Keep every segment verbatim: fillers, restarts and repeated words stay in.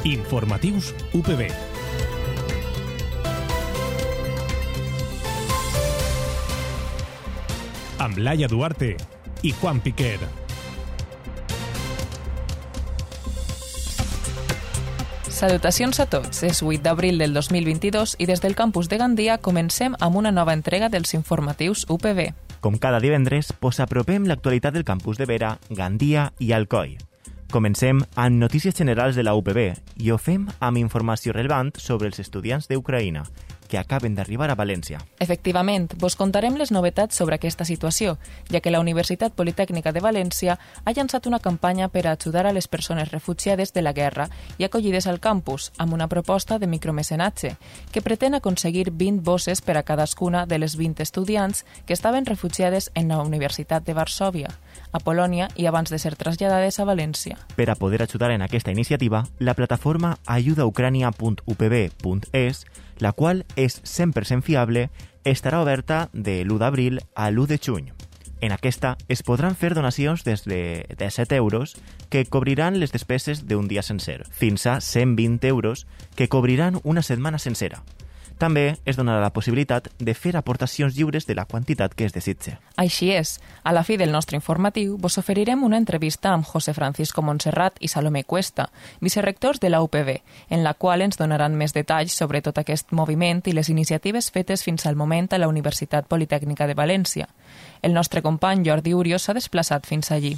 Informatius U P B. Amb Laia Duarte i Juan Piquer. Salutacions a tots. És vuit d'abril del dos mil vint-i-dos i des del campus de Gandia comencem amb una nova entrega dels informatius U P B. Com cada divendres, us apropem l'actualitat del campus de Vera, Gandia i Alcoi. Comencem amb notícies generals de la U P B i ho fem amb informació relevant sobre els estudiants d'Ucraïna, que acaben d'arribar a València. Efectivament, vos contarem les novetats sobre aquesta situació, ja que la Universitat Politècnica de València ha llançat una campanya per a ajudar a les persones refugiades de la guerra i acollides al campus, amb una proposta de micromecenatge, que pretén aconseguir vint bosses per a cadascuna de les vint estudiants que estaven refugiades en la Universitat de Varsòvia, a Polònia i abans de ser traslladades a València. Per a poder ajudar en aquesta iniciativa, la plataforma ayuda ucrania punt u p b punt e s, la qual és cent per cent fiable, estarà oberta de l'u d'abril a l'u de juny. En aquesta es podran fer donacions des de disset euros que cobriran les despeses d'un dia sencer, fins a cent vint euros que cobriran una setmana sencera. També es donarà la possibilitat de fer aportacions lliures de la quantitat que es desitge. Així és. A la fi del nostre informatiu vos oferirem una entrevista amb José Francisco Montserrat i Salomé Cuesta, vicerrectors de la U P B, en la qual ens donaran més detalls sobre tot aquest moviment i les iniciatives fetes fins al moment a la Universitat Politècnica de València. El nostre company Jordi Urios s'ha desplaçat fins allí.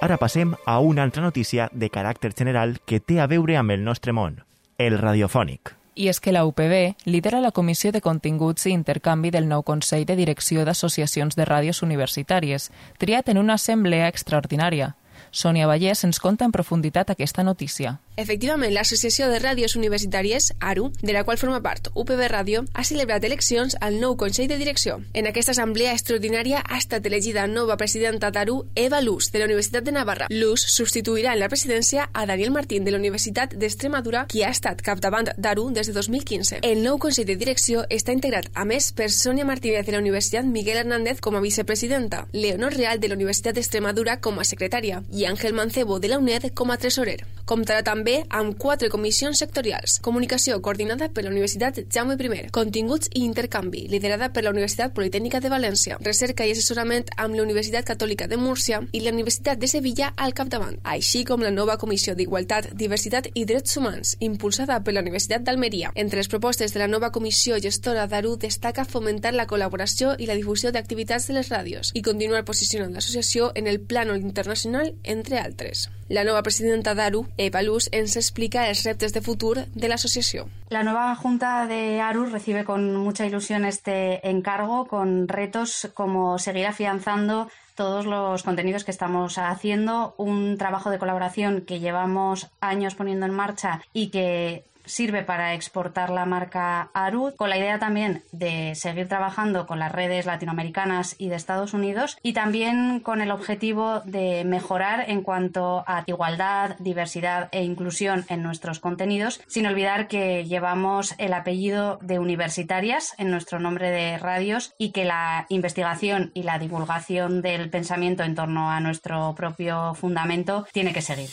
Ara passem a una altra notícia de caràcter general que té a veure amb el nostre món, el radiofònic. I és que la U P B lidera la Comissió de Continguts i Intercanvi del nou Consell de Direcció d'Associacions de Ràdios Universitàries, triat en una assemblea extraordinària. Sònia Vallès ens conta en profunditat aquesta notícia. Efectivament, l'Associació de Ràdios Universitàries, A R U, de la qual forma part U P B Ràdio, ha celebrat eleccions al nou Consell de Direcció. En aquesta assemblea extraordinària ha estat elegida nova presidenta d'A R U, Eva Luz, de la Universitat de Navarra. Luz substituirà en la presidència a Daniel Martín, de la Universitat d'Extremadura, qui ha estat capdavant d'A R U des de dos mil quinze. El nou Consell de Direcció està integrat, a més, per Sònia Martínez de la Universitat Miguel Hernández com a vicepresidenta, Leonor Real de la Universitat d'Extremadura com a secretària i Àngel Mancebo de la U N E D com a tresorer. Comptarà també amb quatre comissions sectorials: comunicació, coordinada per la Universitat Jaume I, continguts i intercanvi, liderada per la Universitat Politècnica de València, recerca i assessorament amb la Universitat Catòlica de Múrcia i la Universitat de Sevilla al capdavant, així com la nova Comissió d'Igualtat, Diversitat i Drets Humans, impulsada per la Universitat d'Almeria. Entre les propostes de la nova comissió gestora d'A R U destaca fomentar la col·laboració i la difusió d'activitats de les ràdios i continuar posicionant l'associació en el plànol internacional, entre altres. La nova presidenta d'A R U, Eva Luz, ens explica els reptes de futur de la asociación. La nueva Junta de A R U recibe con mucha ilusión este encargo, con retos como seguir afianzando todos los contenidos que estamos haciendo, un trabajo de colaboración que llevamos años poniendo en marcha y que sirve para exportar la marca A R U, con la idea también de seguir trabajando con las redes latinoamericanas y de Estados Unidos, y también con el objetivo de mejorar en cuanto a igualdad, diversidad e inclusión en nuestros contenidos, sin olvidar que llevamos el apellido de universitarias en nuestro nombre de radios y que la investigación y la divulgación del pensamiento en torno a nuestro propio fundamento tiene que seguir.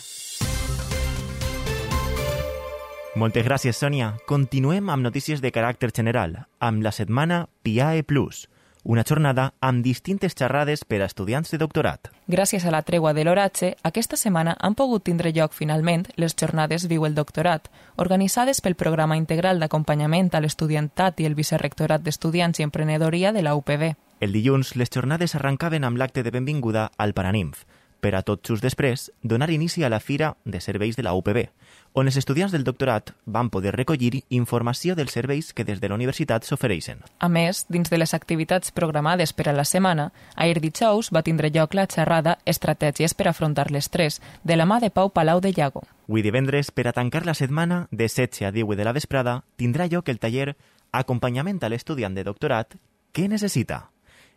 Moltes gràcies, Sònia. Continuem amb notícies de caràcter general, amb la setmana P I A E plus, una jornada amb distintes xerrades per a estudiants de doctorat. Gràcies a la tregua de l'oratge, aquesta setmana han pogut tindre lloc finalment les jornades Viu el Doctorat, organitzades pel Programa Integral d'Acompanyament a l'Estudiantat i el Vicerrectorat d'Estudiants i Emprenedoria de la U P B. El dilluns, les jornades arrencaven amb l'acte de benvinguda al Paranimf, per a tot just després donar inici a la Fira de Serveis de la U P B, on els estudiants del doctorat van poder recollir informació dels serveis que des de la universitat s'ofereixen. A més, dins de les activitats programades per a la setmana, ahir dijous va tindre lloc la xerrada Estratègies per afrontar l'estrès, de la mà de Pau Palau de Llago. Avui divendres, per a tancar la setmana, de setze a divuit de la vesprada, tindrà lloc el taller Acompanyament a l'estudiant de doctorat, què necessita?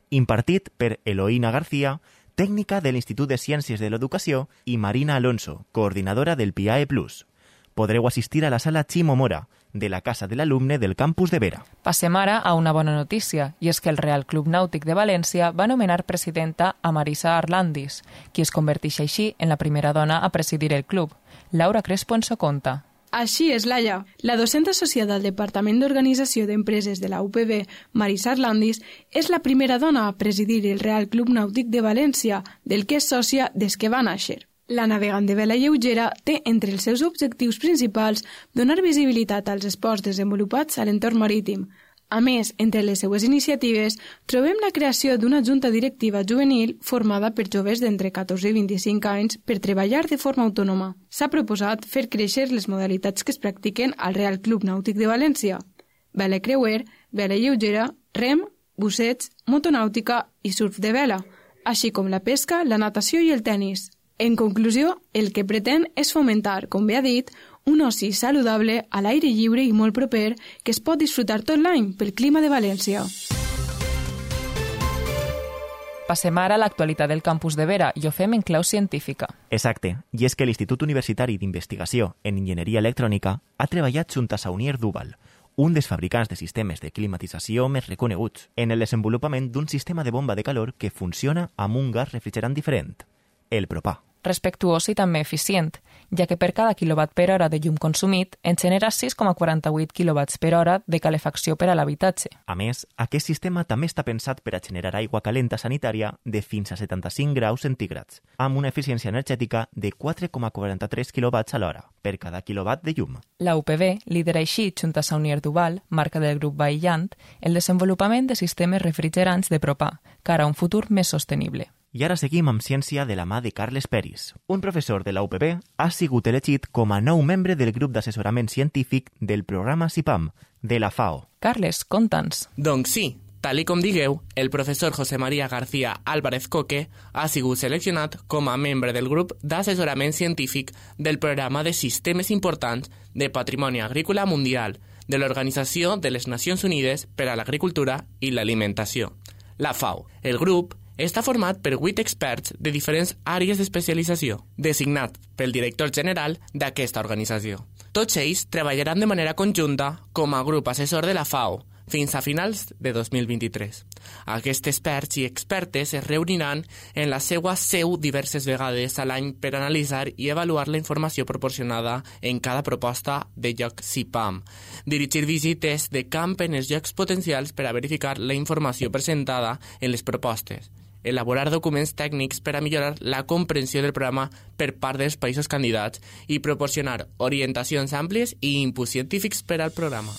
Impartit per Eloína García, tècnica de l'Institut de Ciències de l'Educació, i Marina Alonso, coordinadora del P I A E plus. podreu assistir a la sala Ximo Mora, de la Casa de l'Alumne del campus de Vera. Passem ara a una bona notícia, i és que el Real Club Nàutic de València va nomenar presidenta a Marisa Arlandis, qui es converteix així en la primera dona a presidir el club. Laura Crespo ens ho conta. Així és, Laia. La docent associada al Departament d'Organització d'Empreses de la U P B, Marisa Arlandis, és la primera dona a presidir el Real Club Nàutic de València, del que és sòcia des que va néixer. La navegant de vela lleugera té entre els seus objectius principals donar visibilitat als esports desenvolupats a l'entorn marítim. A més, entre les seues iniciatives, trobem la creació d'una junta directiva juvenil formada per joves d'entre catorze i vint-i-cinc anys per treballar de forma autònoma. S'ha proposat fer créixer les modalitats que es practiquen al Real Club Nàutic de València: vela creuer, vela lleugera, rem, busseig, motonàutica i surf de vela, així com la pesca, la natació i el tennis. En conclusió, el que pretén és fomentar, com bé ha dit, un oci saludable a l'aire lliure i molt proper que es pot disfrutar tot l'any pel clima de València. Passem ara a l'actualitat del campus de Vera i ho fem en clau científica. Exacte, i és que l'Institut Universitari d'Investigació en Enginyeria Electrònica ha treballat junt a Saunier Duval, un dels fabricants de sistemes de climatització més reconeguts, en el desenvolupament d'un sistema de bomba de calor que funciona amb un gas refrigerant diferent, el propà. Respectuós i també eficient, ja que per cada quilowatt per hora de llum consumit en genera sis coma quaranta-vuit quilowatts per hora de calefacció per a l'habitatge. A més, aquest sistema també està pensat per a generar aigua calenta sanitària de fins a setanta-cinc graus centígrads, amb una eficiència energètica de quatre coma quaranta-tres quilowatts a l'hora per cada quilowatt de llum. La U P B lidera així, junt a Saunier Duval, marca del grup Vaillant, el desenvolupament de sistemes refrigerants de propà, cara a un futur més sostenible. I ara seguim amb ciència de la mà de Carles Peris. Un professor de la U P B ha sigut elegit com a nou membre del grup d'assessorament científic del programa CIPAM, de la FAO. Carles, conta'ns. Doncs sí, tal i com digueu, el professor José María García Álvarez Coque ha sigut seleccionat com a membre del grup d'assessorament científic del programa de sistemes importants de patrimoni agrícola mundial de l'Organització de les Nacions Unides per a l'Agricultura i l'Alimentació, la FAO. El grup està format per vuit experts de diferents àrees d'especialització, designats pel director general d'aquesta organització. Tots ells treballaran de manera conjunta com a grup assessor de la FAO fins a finals de dos mil vint-i-tres. Aquests experts i expertes es reuniran en la seva seu diverses vegades a l'any per analitzar i avaluar la informació proporcionada en cada proposta de lloc CIPAM, dirigir visites de camp en els llocs potencials per a verificar la informació presentada en les propostes, elaborar documents tècnics per a millorar la comprensió del programa per part dels països candidats i proporcionar orientacions àmplies i inputs científics per al programa.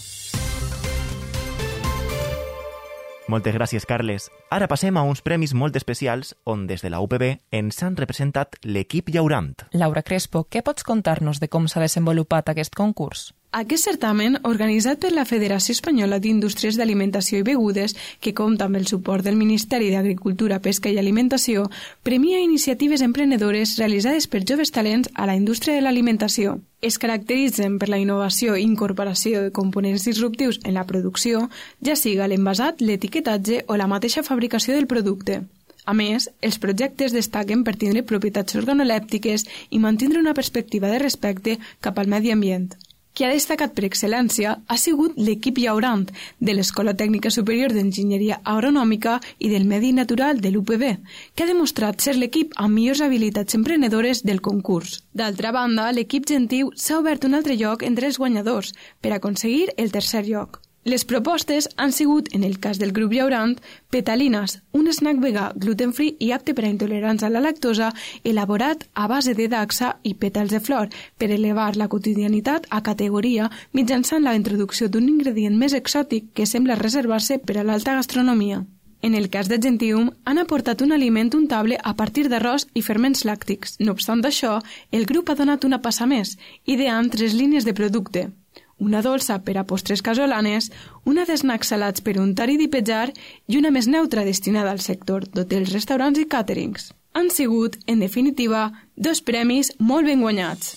Moltes gràcies, Carles. Ara passem a uns premis molt especials on des de la U P B ens han representat l'equip llaurant. Laura Crespo, què pots contar-nos de com s'ha desenvolupat aquest concurs? Aquest certamen, organitzat per la Federació Espanyola d'Indústries d'Alimentació i Begudes, que compta amb el suport del Ministeri d'Agricultura, Pesca i Alimentació, premia iniciatives emprenedores realitzades per joves talents a la indústria de l'alimentació. Es caracteritzen per la innovació i incorporació de components disruptius en la producció, ja siga l'envasat, l'etiquetatge o la mateixa fabricació del producte. A més, els projectes destaquen per tindre propietats organolèptiques i mantindre una perspectiva de respecte cap al medi ambient. Qui ha destacat per excel·lència ha sigut l'equip llaurant de l'Escola Tècnica Superior d'Enginyeria Agronòmica i del Medi Natural de l'U P B, que ha demostrat ser l'equip amb millors habilitats emprenedores del concurs. D'altra banda, l'equip Gentiu s'ha obert un altre lloc entre els guanyadors per aconseguir el tercer lloc. Les propostes han sigut, en el cas del grup llaurant, Petalinas, un snack vegà gluten-free i apte per a intolerants a la lactosa, elaborat a base de daxa i pètals de flor per elevar la quotidianitat a categoria mitjançant la introducció d'un ingredient més exòtic que sembla reservar-se per a l'alta gastronomia. En el cas de Gentium, han aportat un aliment untable a partir d'arròs i ferments làctics. No obstant això, el grup ha donat una passa més, ideant tres línies de producte: una dolça per a postres casolanes, una d'esnacs salats per untar i dipejar i una més neutra destinada al sector d'hotels, restaurants i càterings. Han sigut, en definitiva, dos premis molt ben guanyats.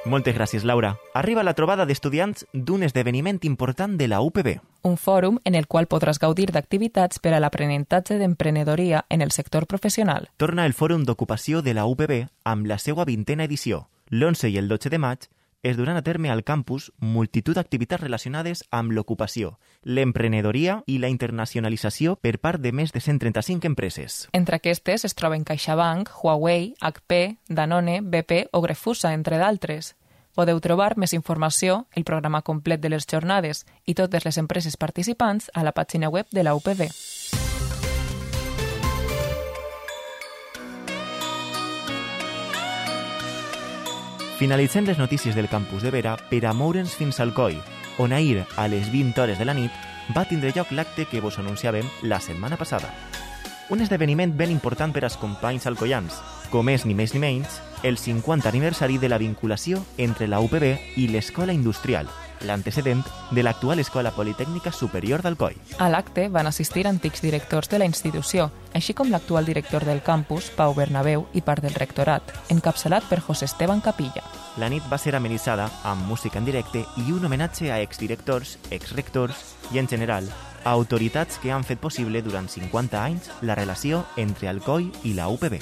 Moltes gràcies, Laura. Arriba la trobada d'estudiants d'un esdeveniment important de la U P B. Un fòrum en el qual podràs gaudir d'activitats per a l'aprenentatge d'emprenedoria en el sector professional. Torna el Fòrum d'Ocupació de la U P B amb la seva vintena edició. L'onze i el dotze de maig es duran a terme al campus multitud d'activitats relacionades amb l'ocupació, l'emprenedoria i la internacionalització per part de més de cent trenta-cinc empreses. Entre aquestes es troben CaixaBank, Huawei, H P, Danone, B P o Grefusa, entre d'altres. Podeu trobar més informació, el programa complet de les jornades i totes les empreses participants a la pàgina web de la U P B. Finalitzem les notícies del campus de Vera per a moure'ns fins al Coi, on ahir, a les vint hores de la nit, va tindre lloc l'acte que vos anunciàvem la setmana passada. Un esdeveniment ben important per als companys alcoians, com és ni més ni menys el cinquanta aniversari de la vinculació entre la U P B i l'Escola Industrial, l'antecedent de l'actual Escola Politècnica Superior d'Alcoi. A l'acte van assistir antics directors de la institució, així com l'actual director del campus, Pau Bernabéu, i part del rectorat, encapçalat per José Esteban Capilla. La nit va ser amenitzada amb música en directe i un homenatge a exdirectors, exrectors i, en general, a autoritats que han fet possible durant cinquanta anys la relació entre Alcoi i la U P B.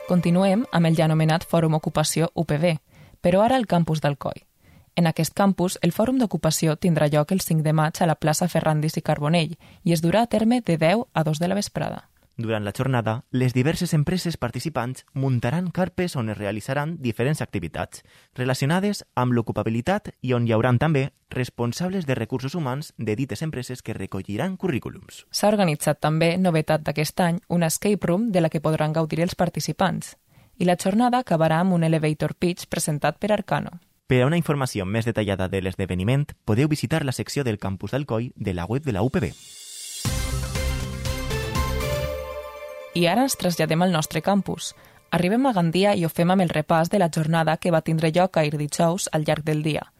Continuem amb el ja anomenat Fòrum Ocupació U P B, però ara al campus d'Alcoi. En aquest campus, el Fòrum d'Ocupació tindrà lloc el cinc de maig a la plaça Ferrandis i Carbonell i es durà a terme de deu a dos de la vesprada. Durant la jornada, les diverses empreses participants muntaran carpes on es realitzaran diferents activitats relacionades amb l'ocupabilitat i on hi haurà també responsables de recursos humans de dites empreses que recolliran currículums. S'ha organitzat també, novetat d'aquest any, una escape room de la que podran gaudir els participants. I la jornada acabarà amb un elevator pitch presentat per Arcano. Per a una informació més detallada de l'esdeveniment, podeu visitar la secció del campus d'Alcoi de la web de la U P B. I ara ens traslladem al nostre campus. Arribem a Gandia i ho fem amb el repàs de la jornada que va tindre lloc ahir dijous al llarg del dia.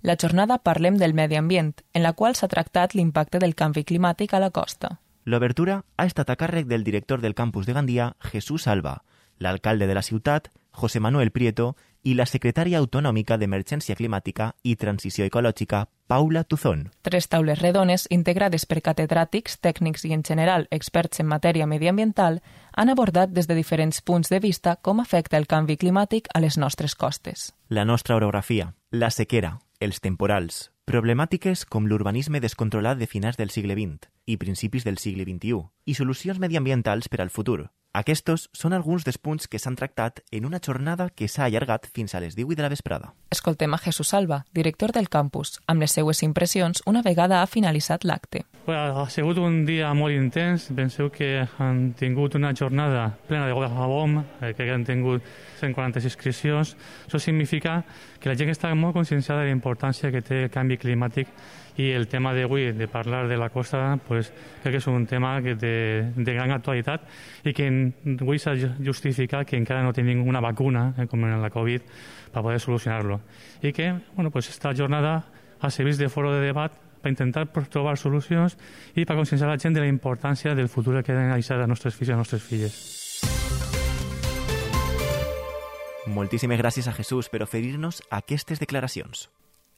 La jornada parlem del medi ambient, en la qual s'ha tractat l'impacte del canvi climàtic a la costa. L'obertura ha estat a càrrec del director del campus de Gandia, Jesús Alba, l'alcalde de la ciutat, José Manuel Prieto, i la secretària autonòmica d'Emergència Climàtica i Transició Ecològica, Paula Tuzón. Tres taules redones, integrades per catedràtics, tècnics i, en general, experts en matèria mediambiental, han abordat des de diferents punts de vista com afecta el canvi climàtic a les nostres costes. La nostra orografia, la sequera, els temporals, problemàtiques com l'urbanisme descontrolat de finals del segle vint i principis del segle vint-i-u i solucions mediambientals per al futur. Aquests són alguns dels punts que s'han tractat en una jornada que s'ha allargat fins a les deu de la vesprada. Escoltem a Jesús Alba, director del campus, amb les seues impressions una vegada ha finalitzat l'acte. Ha sigut un dia molt intens. Penseu que han tingut una jornada plena de goles a bomb, que han tingut cent quaranta-sis inscripcions. Això significa que la gent està molt conscienciada de la importància que té el canvi climàtic i el tema d'avui, de parlar de la costa, pues, crec que és un tema que de, de gran actualitat i que avui s'ha justificat que encara no tenim una vacuna, eh, com en la Covid, per poder solucionar-lo. I que bueno, pues, esta jornada ha servit de foro de debat per intentar trobar solucions i per conscienciar la gent de la importància del futur que han de deixar als nostres fills i a les nostres filles. Moltíssimes gràcies a Jesús per oferir-nos aquestes declaracions.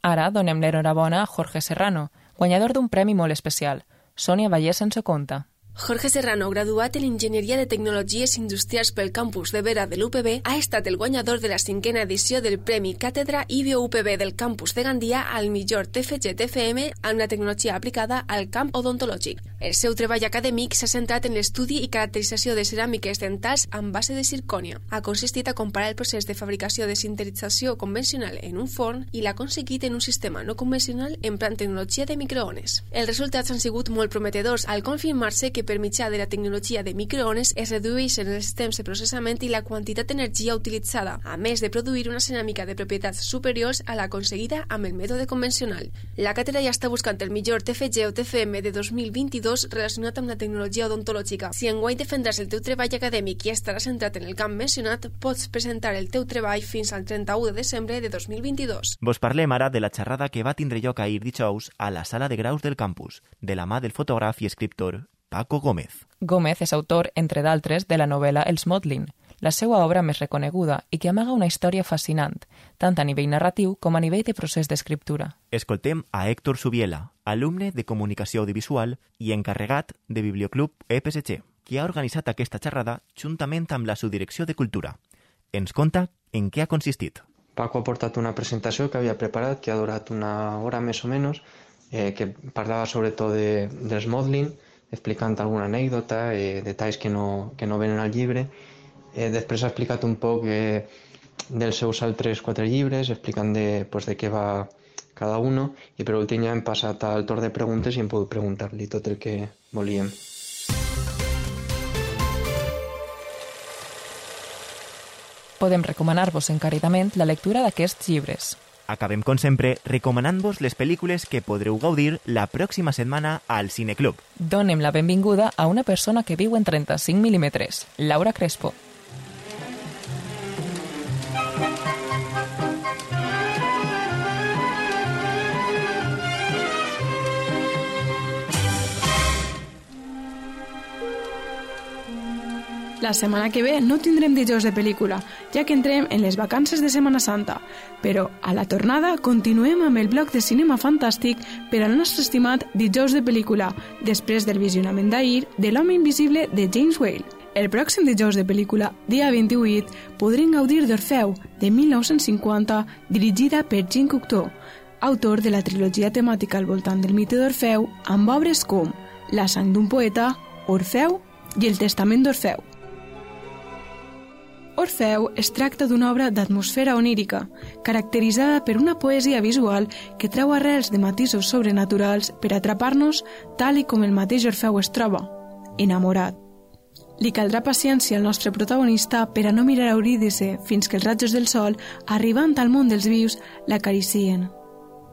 Ara donem l'enhorabona a Jorge Serrano, guanyador d'un premi molt especial. Sònia Vallès ens ho conta. Jorge Serrano, graduat en Enginyeria de Tecnologies Industrials pel campus de Vera de l'U P B, ha estat el guanyador de la cinquena edició del Premi Càtedra I B O U P B del campus de Gandia al millor T F G T F M amb la tecnologia aplicada al camp odontològic. El seu treball acadèmic s'ha centrat en l'estudi i caracterització de ceràmiques dentals amb base de zircònia. Ha consistit a comparar el procés de fabricació de sinterització convencional en un forn i l'ha aconseguit en un sistema no convencional emprant tecnologia de microones. Els resultats han sigut molt prometedors al confirmar-se que per mitjà de la tecnologia de microones es redueixen els temps de processament i la quantitat d'energia utilitzada, a més de produir una ceràmica de propietats superiors a la aconseguida amb el mètode convencional. La càtedra ja està buscant el millor T F G o T F M de dos mil vint-i-dos relacionat amb la tecnologia odontològica. Si enguany defendràs el teu treball acadèmic i estaràs centrat en el camp mencionat, pots presentar el teu treball fins al trenta-u de desembre de dos mil vint-i-dos. Vos parlem ara de la xerrada que va tindre lloc ahir dijous a la sala de graus del campus, de la mà del fotògraf i escriptor Paco Gómez. Gómez és autor, entre d'altres, de la novel·la Els Motlin, la seva obra més reconeguda i que amaga una història fascinant, tant a nivell narratiu com a nivell de procés d'escriptura. Escoltem a Héctor Subiela, alumne de Comunicació Audiovisual i encarregat de Biblioclub E P S G, que ha organitzat aquesta xerrada juntament amb la Subdirecció de Cultura. Ens conta en què ha consistit. Paco ha portat una presentació que havia preparat, que ha durat una hora més o menys, eh, que parlava sobretot de, dels Motlin, explicant alguna anècdota, eh, detalls que no, que no venen al llibre. Eh, després ha explicat un poc eh, dels seus altres quatre llibres, explicant de, pues, de què va cada uno, i per últim ja hem passat al torn de preguntes i hem pogut preguntar-li tot el que volíem. Podem recomanar-vos encaridament la lectura d'aquests llibres. Acabem, com sempre, recomanant-vos les pel·lícules que podreu gaudir la pròxima setmana al Cineclub. Donem la benvinguda a una persona que viu en trenta-cinc mil·límetres, Laura Crespo. La setmana que ve no tindrem dijous de pel·lícula, ja que entrem en les vacances de Setmana Santa, però a la tornada continuem amb el bloc de cinema fantàstic per al nostre estimat dijous de pel·lícula, després del visionament d'ahir de L'home invisible de James Whale. El pròxim dijous de pel·lícula, dia vint-i-vuit, podrem gaudir d'Orfeu, de mil nou-cents cinquanta, dirigida per Jean Cocteau, autor de la trilogia temàtica al voltant del mite d'Orfeu, amb obres com La sang d'un poeta, Orfeu i El testament d'Orfeu. Orfeu es tracta d'una obra d'atmosfera onírica, caracteritzada per una poesia visual que treu arrels de matisos sobrenaturals per atrapar-nos tal i com el mateix Orfeu es troba, enamorat. Li caldrà paciència al nostre protagonista per a no mirar a Eurídice fins que els rajos del sol, arribant al món dels vius, l'acaricien.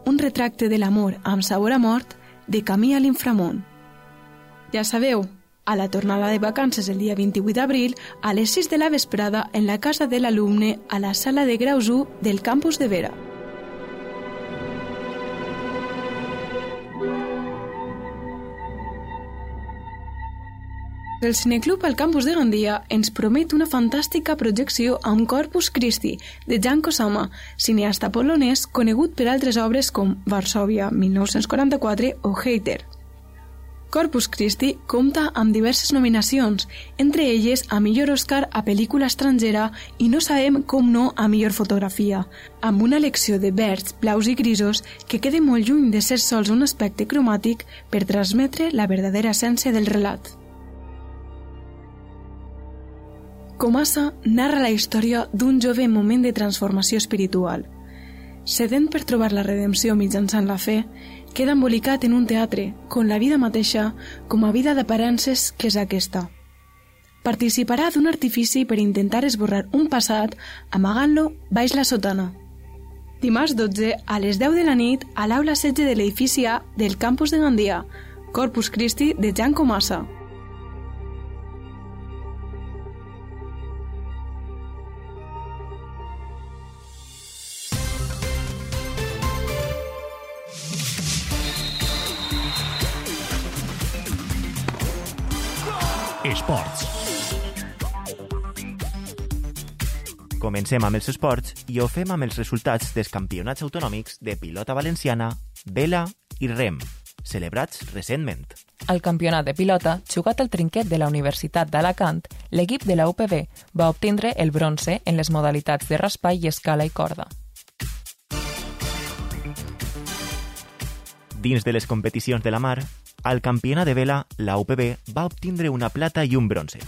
Un retracte de l'amor amb sabor a mort de camí a l'inframón. Ja sabeu, a la tornada de vacances el dia vint-i-vuit d'abril, a les sis de la vesprada, en la casa de l'alumne, a la sala de graus u del campus de Vera. El Cineclub al campus de Gandia ens promet una fantàstica projecció amb Corpus Christi, de Jan Kosama, cineasta polonès conegut per altres obres com Varsòvia, mil nou-cents quaranta-quatre o Hater. Corpus Christi compta amb diverses nominacions, entre elles a millor Òscar a pel·lícula estrangera i no sabem com no a millor fotografia, amb una elecció de verds, blaus i grisos que queda molt lluny de ser sols un aspecte cromàtic per transmetre la verdadera essència del relat. Comassa narra la història d'un jove en moment de transformació espiritual. Sedent per trobar la redempció mitjançant la fe, queda embolicat en un teatre, con la vida mateixa com a vida d'aparences que és aquesta. Participarà d'un artifici per intentar esborrar un passat amagant-lo baix la sotana. Dimarts dotze, a les deu de la nit, a l'aula setze de l'edifici A del campus de Gandia, Corpus Christi de Jan Comassa. Esports. Comencem amb els esports i ho fem amb els resultats dels campionats autonòmics de pilota valenciana, vela i rem, celebrats recentment. Al campionat de pilota, jugat al trinquet de la Universitat d'Alacant, l'equip de la U P B va obtindre el bronze en les modalitats de raspall i escala i corda. Dins de les competicions de la mar, al campionat de vela, la U P B va obtindre una plata i un bronze.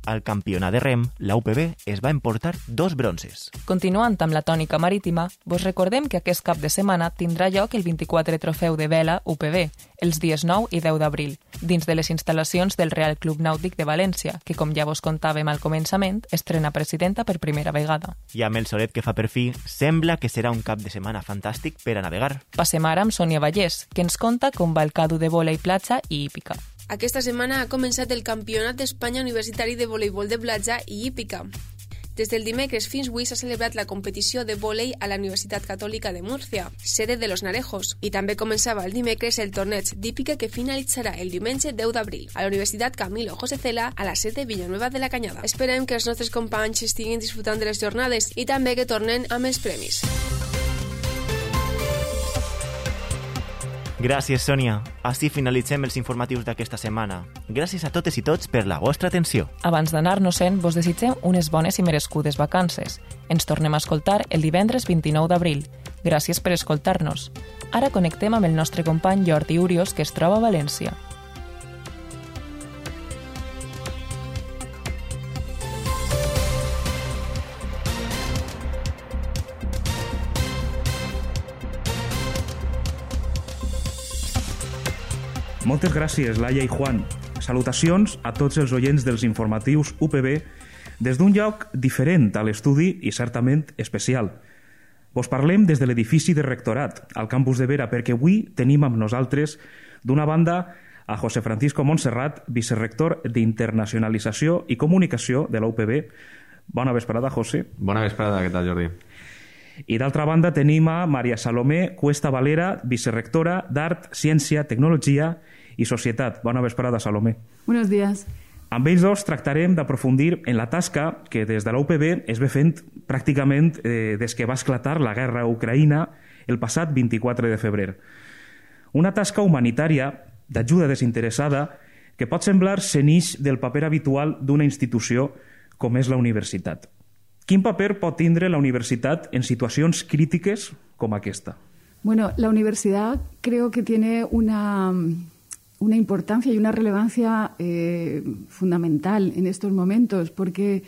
Al campionat de rem, la U P B es va emportar dos bronzes. Continuant amb la tònica marítima, vos recordem que aquest cap de setmana tindrà lloc el vint-i-quatre Trofeu de Vela U P B, els dies nou i deu d'abril, dins de les instal·lacions del Real Club Nàutic de València, que, com ja vos contàvem al començament, estrena presidenta per primera vegada. I amb el solet que fa per fi, sembla que serà un cap de setmana fantàstic per a navegar. Passem ara amb Sònia Vallès, que ens conta com va el cadu de vòlei platja i hípica. Aquesta setmana ha començat el Campionat d'Espanya Universitari de Voleibol de Platja i Hípica. Des del dimecres fins avui s'ha celebrat la competició de vòlei a la Universitat Catòlica de Múrcia, sede de Los Narejos, i també començava el dimecres el torneig d'hípica que finalitzarà el diumenge deu d'abril a la Universitat Camilo José Cela a la sede Villanueva de la Cañada. Esperem que els nostres companys estiguin disfrutant de les jornades i també que tornen amb els premis. Gràcies, Sònia. Així finalitzem els informatius d'aquesta setmana. Gràcies a totes i tots per la vostra atenció. Abans d'anar-nos-en, vos desitgem unes bones i merescudes vacances. Ens tornem a escoltar el divendres vint-i-nou d'abril. Gràcies per escoltar-nos. Ara connectem amb el nostre company Jordi Urios, que es troba a València. Moltes gràcies, Laia i Juan. Salutacions a tots els oients dels informatius U P B des d'un lloc diferent a l'estudi i certament especial. Vos parlem des de l'edifici de rectorat, al campus de Vera, perquè avui tenim amb nosaltres, d'una banda, a José Francisco Montserrat, vicerrector d'Internacionalització i Comunicació de la U P B. Bona vesprada, José. Bona vesprada, què tal, Jordi? I d'altra banda tenim a Maria Salomé Cuesta Valera, vicerrectora d'Art, Ciència, Tecnologia i Societat. Bona vesprada, Salomé. Buenos días. Amb ells dos tractarem d'aprofundir en la tasca que des de la U P B es ve fent pràcticament eh, des que va esclatar la guerra a Ucraïna el passat vint-i-quatre de febrer. Una tasca humanitària d'ajuda desinteressada que pot semblar senix del paper habitual d'una institució com és la universitat. Quin paper pot tindre la universitat en situacions crítiques com aquesta? Bueno, la universidad creo que tiene una, una importancia y una relevancia eh, fundamental en estos momentos, porque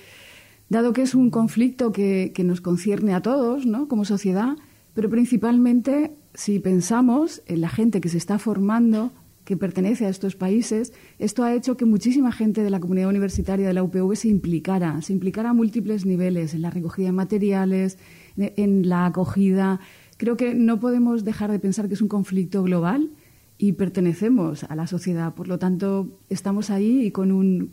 dado que es un conflicto que, que nos concierne a todos, ¿no?, como sociedad, pero principalmente si pensamos en la gente que se está formando, que pertenece a estos países, esto ha hecho que muchísima gente de la comunidad universitaria de la U P V se implicara, se implicara a múltiples niveles, en la recogida de materiales, en la acogida. Creo que no podemos dejar de pensar que es un conflicto global y pertenecemos a la sociedad. Por lo tanto, estamos ahí y con un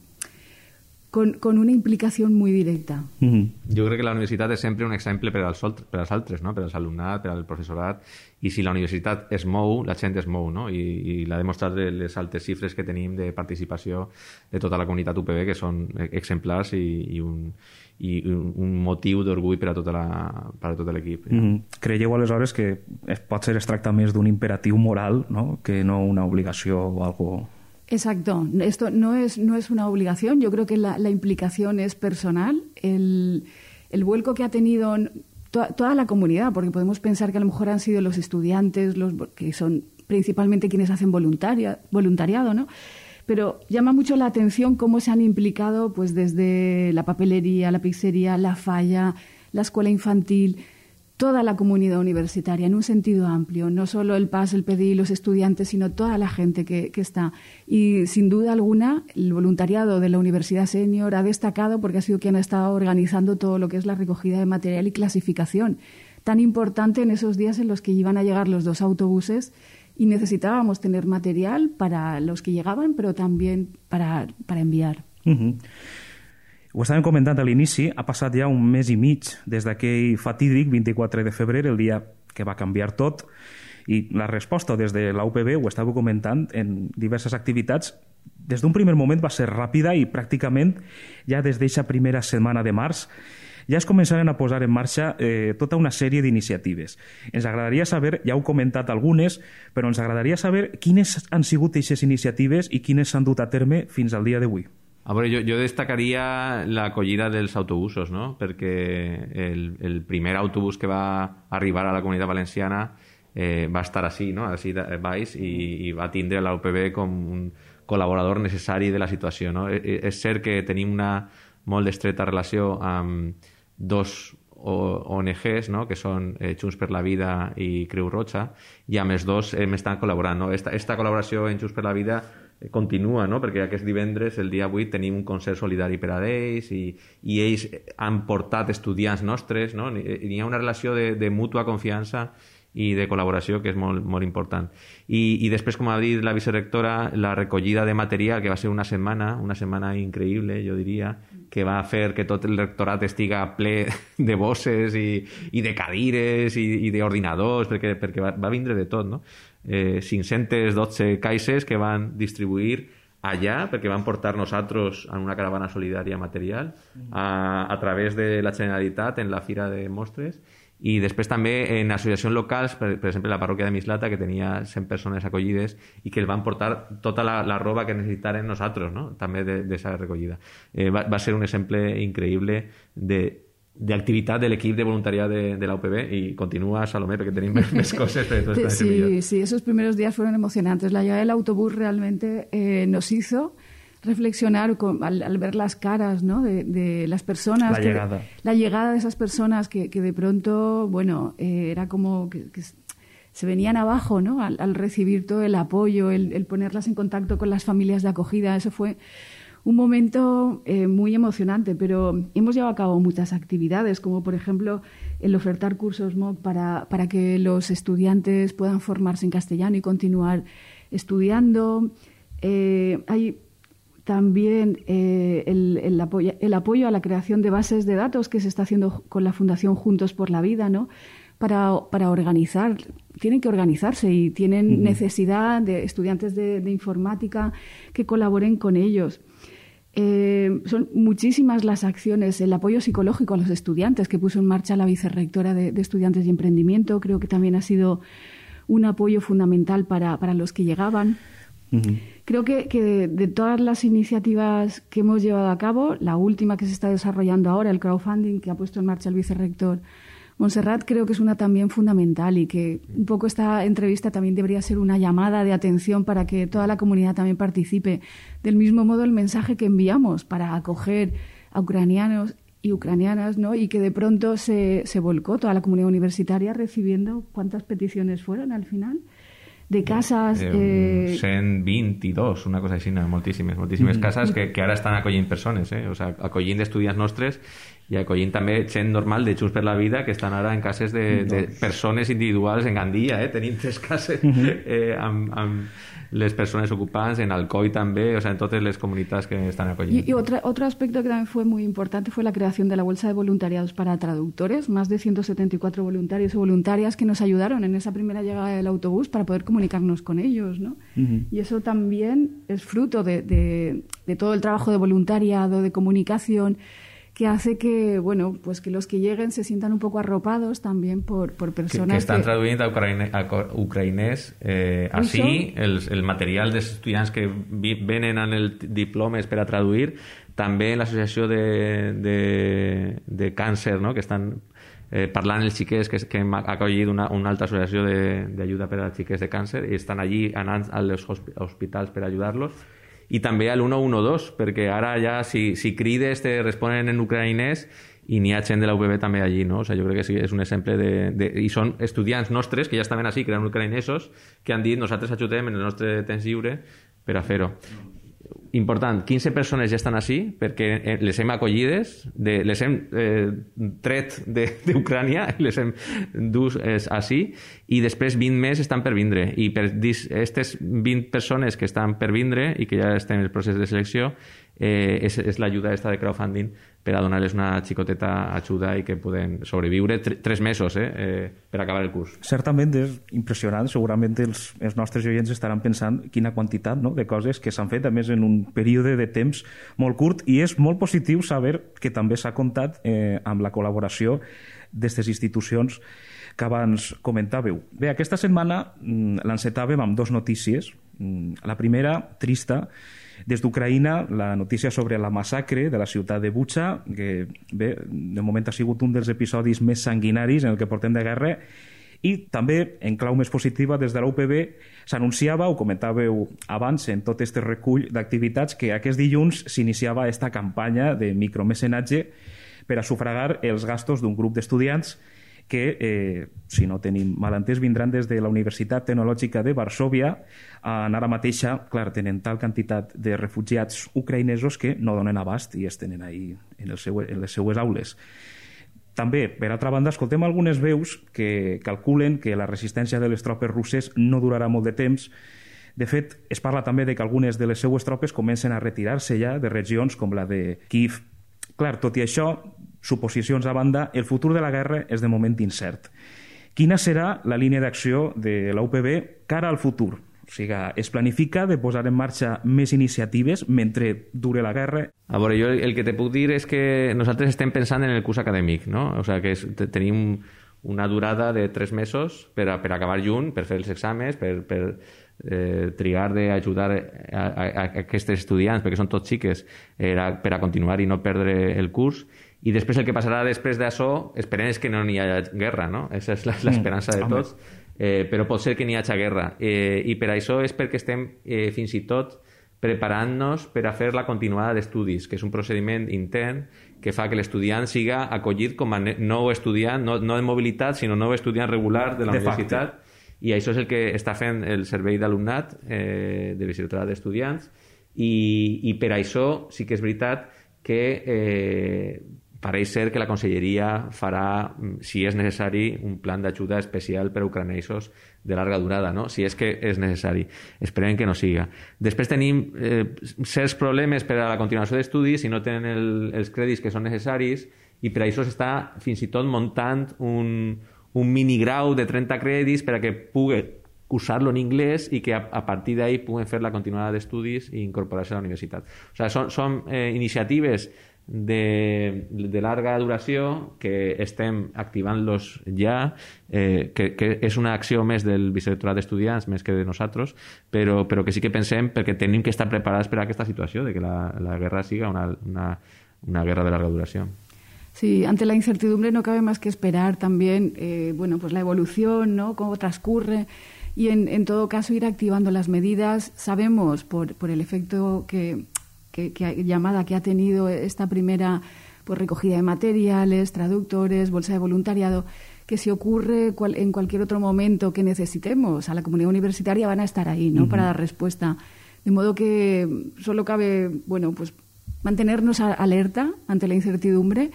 con, con una implicación muy directa. Mm-hmm. Jo crec que la universitat és sempre un exemple per als, per als altres, no? Per als alumnat, per al professorat, i si la universitat es mou, la gent es mou, no? I, i l'ha demostrat les altes xifres que tenim de participació de tota la comunitat U P B, que són exemplars i, i, un, i un motiu d'orgull per a tota la, per a tot l'equip. Mm-hmm. Creieu aleshores que es pot ser es tracta més d'un imperatiu moral, no?, que no una obligació o algo... Exacto. Esto no es, no es una obligación. Yo creo que la, la implicación es personal. El, el vuelco que ha tenido to, toda la comunidad, porque podemos pensar que a lo mejor han sido los estudiantes, los que son principalmente quienes hacen voluntaria, voluntariado, ¿no? Pero llama mucho la atención cómo se han implicado pues desde la papelería, la pizzería, la falla, la escuela infantil, toda la comunidad universitaria en un sentido amplio, no solo el P A S, el P D I, los estudiantes, sino toda la gente que, que está. Y sin duda alguna, el voluntariado de la Universidad Senior ha destacado porque ha sido quien ha estado organizando todo lo que es la recogida de material y clasificación, tan importante en esos días en los que iban a llegar los dos autobuses y necesitábamos tener material para los que llegaban, pero también para, para enviar. Uh-huh. Ho estàvem comentant a l'inici, ha passat ja un mes i mig des d'aquell fatídic vint-i-quatre de febrer, el dia que va canviar tot, i la resposta des de la U P B, ho estàveu comentant en diverses activitats, des d'un primer moment va ser ràpida i pràcticament ja des d'eixa primera setmana de març ja es començaren a posar en marxa eh, tota una sèrie d'iniciatives. Ens agradaria saber, ja heu comentat algunes, però ens agradaria saber quines han sigut aquestes iniciatives i quines s'han dut a terme fins al dia d'avui. A veure, jo, jo destacaria l'acollida dels autobusos, no? Perquè el, el primer autobús que va arribar a la Comunitat Valenciana eh, va estar així, no? Així baix, i, i va tindre la U P B com un col·laborador necessari de la situació, no? És cert que tenim una molt estreta relació amb dos O N Ges, no?, que són eh, Junts per la Vida i Creu Roja, i amb els dos hem estat col·laborant. No? Esta, esta col·laboració en Junts per la Vida continua, no? Perquè aquest divendres, el dia vuit, tenim un concert solidari per a ells i, i ells han portat estudiants nostres, no? Hi ha una relació de, de mútua confiança i de col·laboració que és molt, molt important. I, i després, com ha dit la vicerectora, la recollida de material, que va ser una setmana, una setmana increïble, jo diria, que va fer que tot el rectorat estiga ple de bosses i, i de cadires i, i d'ordinadors, perquè, perquè va, va vindre de tot, no? Eh, cinc-centes dotze caixes que van distribuir allà, perquè van portar nosaltres en una caravana solidària material a, a través de la Generalitat en la Fira de Mostres. I després també en associacions locals, per, per exemple la parròquia de Mislata, que tenia cent persones acollides i que el van portar tota la, la roba que necessitaren nosaltres, no? També d'aquesta recollida. Eh, va, va ser un exemple increïble de d'activitat de l'equip de voluntariat de, de la U P B y continúa, Salomé, porque tenéis más cosas. Pero todo sí, sí, esos primeros días fueron emocionantes. La llegada del autobús realmente eh, nos hizo reflexionar con, al, al ver las caras, ¿no? de, de las personas. La que, llegada. La llegada de esas personas que, que de pronto, bueno, eh, era como que, que se venían abajo, ¿no? Al, al recibir todo el apoyo, el, el ponerlas en contacto con las familias de acogida. Eso fue un momento eh, muy emocionante, pero hemos llevado a cabo muchas actividades, como por ejemplo el ofertar cursos M O C para, para que los estudiantes puedan formarse en castellano y continuar estudiando. Eh, hay también eh, el, el, apoyo, el apoyo a la creación de bases de datos que se está haciendo con la Fundación Juntos por la Vida, ¿no? Para, para organizar, tienen que organizarse y tienen uh-huh. necesidad de estudiantes de, de informática que colaboren con ellos. Eh, son muchísimas las acciones, el apoyo psicológico a los estudiantes que puso en marcha la vicerrectora de, de Estudiantes y Emprendimiento, creo que también ha sido un apoyo fundamental para, para los que llegaban. Uh-huh. Creo que, que de, de todas las iniciativas que hemos llevado a cabo, la última que se está desarrollando ahora, el crowdfunding que ha puesto en marcha el vicerrector Montserrat, creo que es una también fundamental y que un poco esta entrevista también debería ser una llamada de atención para que toda la comunidad también participe. Del mismo modo, el mensaje que enviamos para acoger a ucranianos y ucranianas, ¿no? Y que de pronto se, se volcó toda la comunidad universitaria recibiendo, ¿cuántas peticiones fueron al final? De casas... Eh, eh... cent vint-i-dos, una cosa així, moltíssimes, moltíssimes mm. cases que, que ara estan acollint persones, eh? O sea, acollint estudiants nostres i acollint també gent normal de Junts per la Vida que estan ara en cases de, de persones individuals en Gandia, eh? Tenim tres cases eh, amb, amb les persones ocupants, en Alcoi també, o sea, en totes les comunitats que estan acollint. Y, y otra, otro aspecto que también fue muy importante fue la creación de la bolsa de voluntariados para traductores, más de ciento setenta y cuatro voluntarios o voluntarias que nos ayudaron en esa primera llegada del autobús para poder comunicarnos con ellos, ¿no? Uh-huh. Y eso también es fruto de, de, de todo el trabajo de voluntariado, de comunicación, que hace que, bueno, pues que los que lleguen se sientan un poco arropados también por, por personas que, que estan que... traduint a, ucraïne, a ucraïnès eh, així, el, el material dels estudiants que vi, venen en el diplomes per a traduir, també en l'associació de, de, de càncer, no? Que estan eh, parlant els xiquets que, que hem acollit una, una altra associació d'ajuda per a xiquets de càncer i estan allí anant als hospitals per ajudar-los. I també al uno uno dos, perquè ara ja si, si crides te responen en ucraïnès i n'hi ha gent de la U P B també allí, no? O sigui, jo crec que sí, és un exemple de, de... I són estudiants nostres que ja estaven així, que eren ucraïnesos, que han dit nosaltres ajudem en el nostre temps lliure per a fer-ho. Important, quinze persones ja estan així perquè les hem acollides, de, les hem eh, tret d'Ucrània, les hem dus eh, així i després vint més estan per vindre i per aquestes vint persones que estan per vindre i que ja estan en el procés de selecció eh, és, és l'ajuda esta de crowdfunding per a donar-les una xicoteta ajuda i que poden sobreviure tr tres mesos eh, eh, per acabar el curs. Certament és impressionant, segurament els, els nostres oients estaran pensant quina quantitat, no?, de coses que s'han fet, a més en un període de temps molt curt, i és molt positiu saber que també s'ha comptat eh, amb la col·laboració d'aquestes institucions que abans comentàveu. Bé, aquesta setmana mm, l'encetàvem amb dos notícies. Mm, la primera, trista, des d'Ucraïna, la notícia sobre la massacre de la ciutat de Bucha, que bé, de moment ha sigut un dels episodis més sanguinaris en el que portem de guerra, i també, en clau més positiva, des de la U P B s'anunciava, ho comentàveu abans en tot aquest recull d'activitats, que aquest dilluns s'iniciava esta campanya de micromecenatge per a sufragar els gastos d'un grup d'estudiants que, eh, si no tenim malentès, vindran des de la Universitat Tecnològica de Varsòvia. En ara mateixa, clar, tenen tal quantitat de refugiats ucraïnesos que no donen abast i es tenen ahí en, el seu, en les seues aules. També, per altra banda, escoltem algunes veus que calculen que la resistència de les tropes russes no durarà molt de temps. De fet, es parla també de que algunes de les seues tropes comencen a retirar-se ja de regions com la de Kiev. Clar, tot i això, suposicions a banda, el futur de la guerra és de moment incert. Quina serà la línia d'acció de la U P B cara al futur? O sigui, es planifica de posar en marxa més iniciatives mentre dure la guerra? A veure, jo el que te puc dir és que nosaltres estem pensant en el curs acadèmic, no? O sigui, que és, tenim una durada de tres mesos per, a, per acabar junt, per fer els exàmens, per, per eh, trigar d'ajudar a, a, a aquests estudiants, perquè són tots xiques, eh, per a continuar i no perdre el curs. I després el que passarà després d'això, esperem és que no n'hi hagi guerra, no? Aquesta és l'esperança de tots. Eh, però pot ser que n'hi hagi guerra. Eh, I per això és perquè estem eh, fins i tot preparant-nos per a fer la continuada d'estudis, que és un procediment intern que fa que l'estudiant siga acollit com a nou estudiant, no, no de mobilitat, sinó nou estudiant regular de la de universitat. Facte. I això és el que està fent el servei d'alumnat eh, de visitat d'estudiants. I, I per això sí que és veritat que eh, pareix ser que la Conselleria farà, si és necessari, un plan d'ajuda especial per a ucranesos de llarga durada, no? Si és que és necessari. Esperem que no siga. Després tenim eh, certs problemes per a la continuació d'estudis si no tenen el, els crèdits que són necessaris i per això s'està fins i tot muntant un, un minigrau de trenta crèdits per a que pugui cursar-lo en anglès i que a, a partir d'ahí puguen fer la continuada d'estudis i incorporar-se a la universitat. O sigui, són, són eh, iniciatives de, de larga duració que estem activant-los ja, eh, que, que és una acció més del vicerectorat d'estudiants més que de nosaltres, però, però que sí que pensem perquè tenim que estar preparats per a aquesta situació de que la, la guerra siga una, una, una guerra de larga duración. Sí, ante la incertidumbre no cabe más que esperar también eh, bueno, pues la evolución, ¿no? Cómo transcurre y en, en todo caso ir activando las medidas. Sabemos por, por el efecto que Que, que llamada que ha tenido esta primera pues, recogida de materiales, traductores, bolsa de voluntariado, que si ocurre cual, en cualquier otro momento que necesitemos a la comunidad universitaria van a estar ahí, ¿no? Uh-huh. Para dar respuesta. De modo que solo cabe, bueno, pues mantenernos a, alerta ante la incertidumbre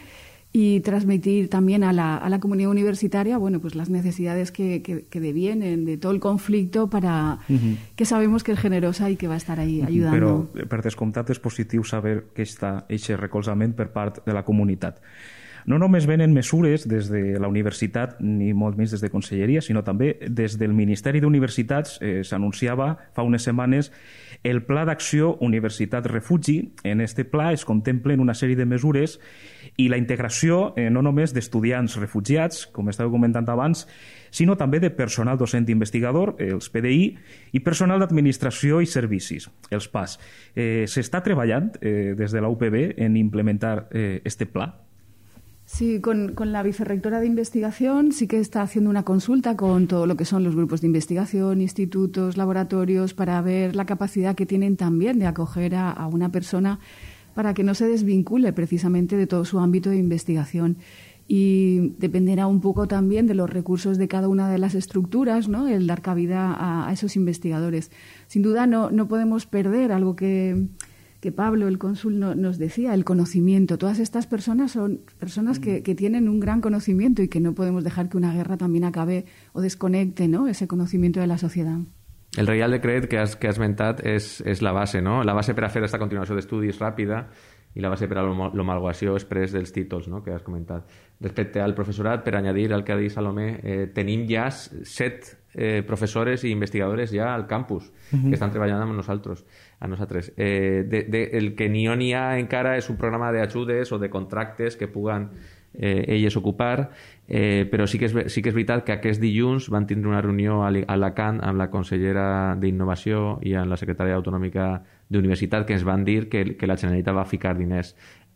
y transmitir también a la, a la comunidad universitaria, bueno, pues las necesidades que, que, que devienen de todo el conflicto para uh-huh. que sabemos que es generosa i que va estar ahí ayudando. Però, per descomptat, és positiu saber que està aquest recolzament per part de la comunitat. No només venen mesures des de la universitat, ni molt menys des de Conselleria, sinó també des del Ministeri d'Universitats eh, s'anunciava fa unes setmanes el Pla d'Acció Universitat Refugi. En este pla es contemplen una sèrie de mesures i la integració eh, no només d'estudiants refugiats, com estava comentant abans, sinó també de personal docent investigador, els P D I, i personal d'administració i servicis, els P A S. Eh, S'està treballant eh, des de la U P B en implementar eh, este pla? Sí, con, con la vicerrectora de investigación sí que está haciendo una consulta con todo lo que son los grupos de investigación, institutos, laboratorios, para ver la capacidad que tienen también de acoger a, a una persona para que no se desvincule precisamente de todo su ámbito de investigación. Y dependerá un poco también de los recursos de cada una de las estructuras, ¿no? El dar cabida a, a esos investigadores. Sin duda no, no podemos perder algo que... que Pablo, el cónsul, no, nos decía, el conocimiento. Todas estas personas son personas que, que tienen un gran conocimiento y que no podemos dejar que una guerra también acabe o desconecte, ¿no?, ese conocimiento de la sociedad. El Reial Decret que has, que has mentat és, és la base, no? La base per a fer aquesta continuació d'estudis ràpida i la base per a l'homologació express dels títols, no?, que has comentat. Respecte al professorat, per añadir al que ha dit Salomé, eh, tenim ja set eh, professores i investigadores ja al campus uh-huh. que estan treballant amb nosaltres. A nosaltres. Eh, de, de, el que n'hi ha, n'hi ha encara és un programa d'ajudes o de contractes que puguen eh, elles ocupar, eh, però sí que, és, sí que és veritat que aquest dilluns van tindre una reunió a Alacant amb la consellera d'Innovació i amb la secretària autonòmica d'Universitat que ens van dir que, que la Generalitat va ficar diners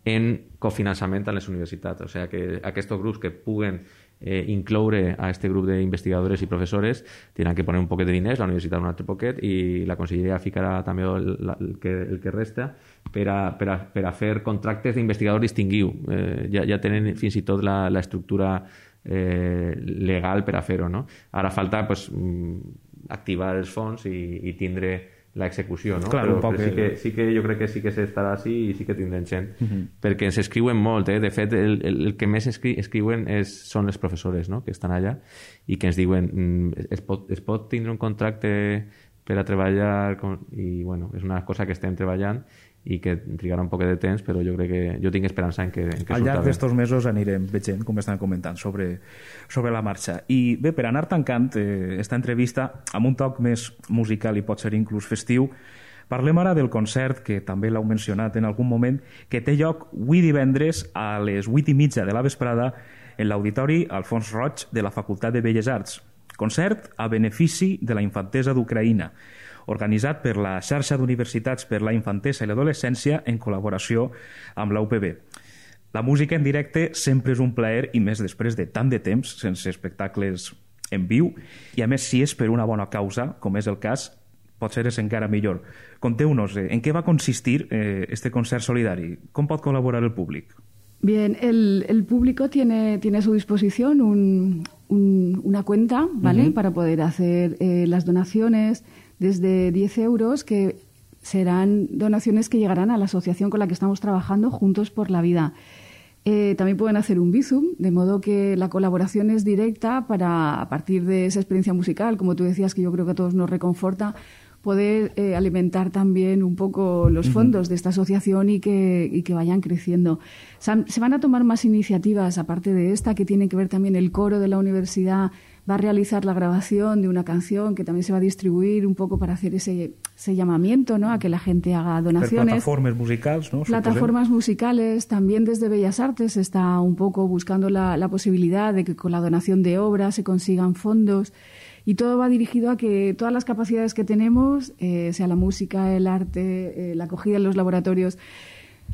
en cofinançament a les universitats. O sigui que aquests grups que puguen eh, incloure a este grup d'investigadores i professores tindran que poner un poquet de diners, la universitat un altre poquet i la conselleria ficarà també el, el, que, el que resta per a, per a, per a fer contractes d'investigador distingiu. Eh, ja, ja tenen fins i tot l'estructura eh, legal per a fer-ho, no? Ara falta pues, activar els fons i, i tindre l'execució, no? Claro, però, però sí, que, sí que jo crec que sí que s'estarà així i sí que tindrem gent, uh -huh. perquè ens escriuen molt, eh? De fet el, el, el que més escri escriuen és, són les professores, no? Que estan allà i que ens diuen mm, es, pot, es pot tindre un contracte per a treballar con... i bueno, és una cosa que estem treballant i que trigarà un poc de temps, però jo crec que jo tinc esperança en que, en que al llarg d'estos mesos anirem veient, com estan comentant, sobre, sobre la marxa. I bé, per anar tancant eh, esta entrevista amb un toc més musical i pot ser inclús festiu, parlem ara del concert, que també l'heu mencionat en algun moment, que té lloc avui divendres a les vuit i mitja de la vesprada en l'Auditori Alfons Roig de la Facultat de Belles Arts. Concert a benefici de la infantesa d'Ucraïna, organitzat per la xarxa d'universitats per la infantesa i l'adolescència en col·laboració amb la U P B. La música en directe sempre és un plaer i més després de tant de temps sense espectacles en viu i a més si és per una bona causa, com és el cas, potser és encara millor. Conteu-nos, eh, en què va consistir eh, este concert solidari? Com pot col·laborar el públic? Bien, el, el público tiene, tiene a su disposición un, un, una cuenta, ¿vale? Uh-huh. Para poder hacer eh, las donaciones desde diez euros, que serán donaciones que llegarán a la asociación con la que estamos trabajando, Juntos por la Vida. Eh, también pueden hacer un Bizum, de modo que la colaboración es directa para, a partir de esa experiencia musical, como tú decías, que yo creo que a todos nos reconforta, poder eh, alimentar también un poco los fondos uh-huh. de esta asociación y que, y que vayan creciendo. Se van a tomar más iniciativas, aparte de esta, que tienen que ver también el coro de la universidad, va a realizar la grabación de una canción que también se va a distribuir un poco para hacer ese, ese llamamiento, ¿no? A que la gente haga donaciones. Plataformas musicales, ¿no? Plataformas Suposem. musicales. También desde Bellas Artes se está un poco buscando la, la posibilidad de que con la donación de obras se consigan fondos. Y todo va dirigido a que todas las capacidades que tenemos, eh, sea la música, el arte, eh, la acogida en los laboratorios,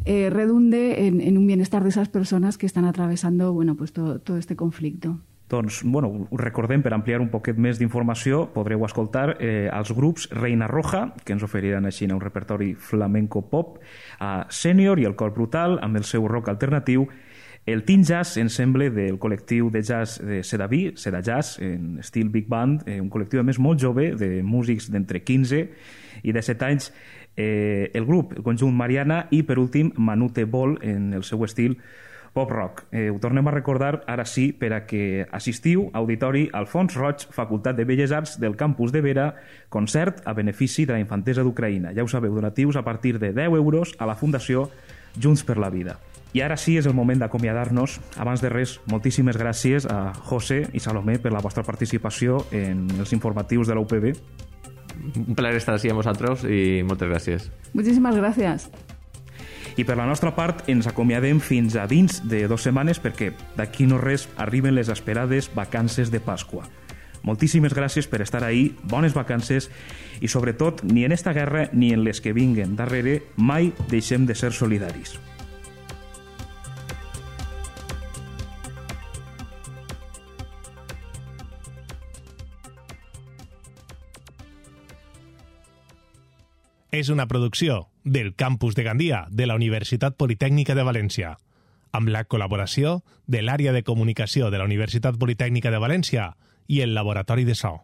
eh, redunde en, en un bienestar de esas personas que están atravesando, bueno, pues todo, todo este conflicto. Doncs, bueno, recordem, per ampliar un poquet més d'informació, podreu escoltar eh, els grups Reina Roja, que ens oferiran així un repertori flamenco pop, a Sènior i el Cor Brutal, amb el seu rock alternatiu, el Teen Jazz Ensemble del col·lectiu de jazz de Sedaví, Seda Jazz, en estil Big Band, eh, un col·lectiu a més molt jove, de músics d'entre quinze i disset anys, eh, el grup, el conjunt Mariana, i per últim Manute Bol, en el seu estil pop rock. Eh, ho tornem a recordar ara sí per a que assistiu a Auditori Alfons Roig, Facultat de Belles Arts del campus de Vera, concert a benefici de la infantesa d'Ucraïna. Ja ho sabeu, donatius a partir de deu euros a la Fundació Junts per la Vida. I ara sí és el moment d'acomiadar-nos. Abans de res, moltíssimes gràcies a José i Salomé per la vostra participació en els informatius de la U P B. Un plaer estar així amb vosaltres i moltes gràcies. Muchísimas gracias. I per la nostra part ens acomiadem fins a dins de dues setmanes perquè d'aquí no res arriben les esperades vacances de Pasqua. Moltíssimes gràcies per estar ahí, bones vacances i sobretot ni en esta guerra ni en les que vinguen darrere mai deixem de ser solidaris. És una producció del Campus de Gandia de la Universitat Politècnica de València, amb la col·laboració de l'Àrea de Comunicació de la Universitat Politècnica de València i el Laboratori de So.